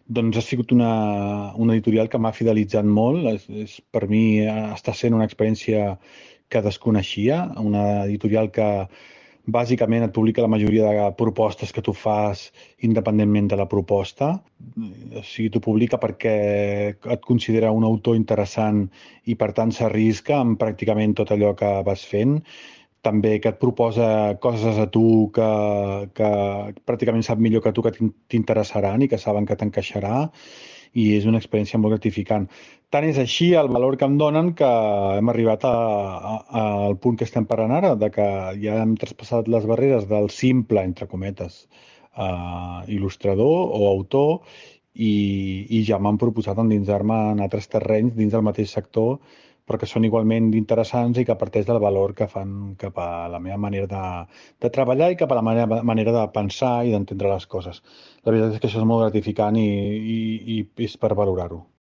Doncs ha sigut una editorial que m'ha fidelitzat molt. Per mi està sent una experiència que desconeixia, una editorial que bàsicament et publica la majoria de propostes que tu fas independentment de la proposta. O sigui, t'ho publica perquè et considera un autor interessant i per tant s'arrisca amb pràcticament tot allò que vas fent. També que et proposa coses a tu que pràcticament sap millor que tu que t'interessaran i que saben que t'encaixarà i és una experiència molt gratificant. Tant és així el valor que em donen que hem arribat al punt que estem parlant ara, de que ja hem traspassat les barreres del simple, entre cometes, il·lustrador o autor i ja m'han proposat endinsar-me en altres terrenys dins del mateix sector però que són igualment interessants i que parteix del valor que fan cap a la meva manera de treballar i cap a la meva manera de pensar i d'entendre les coses. La veritat és que això és molt gratificant i és per valorar-ho.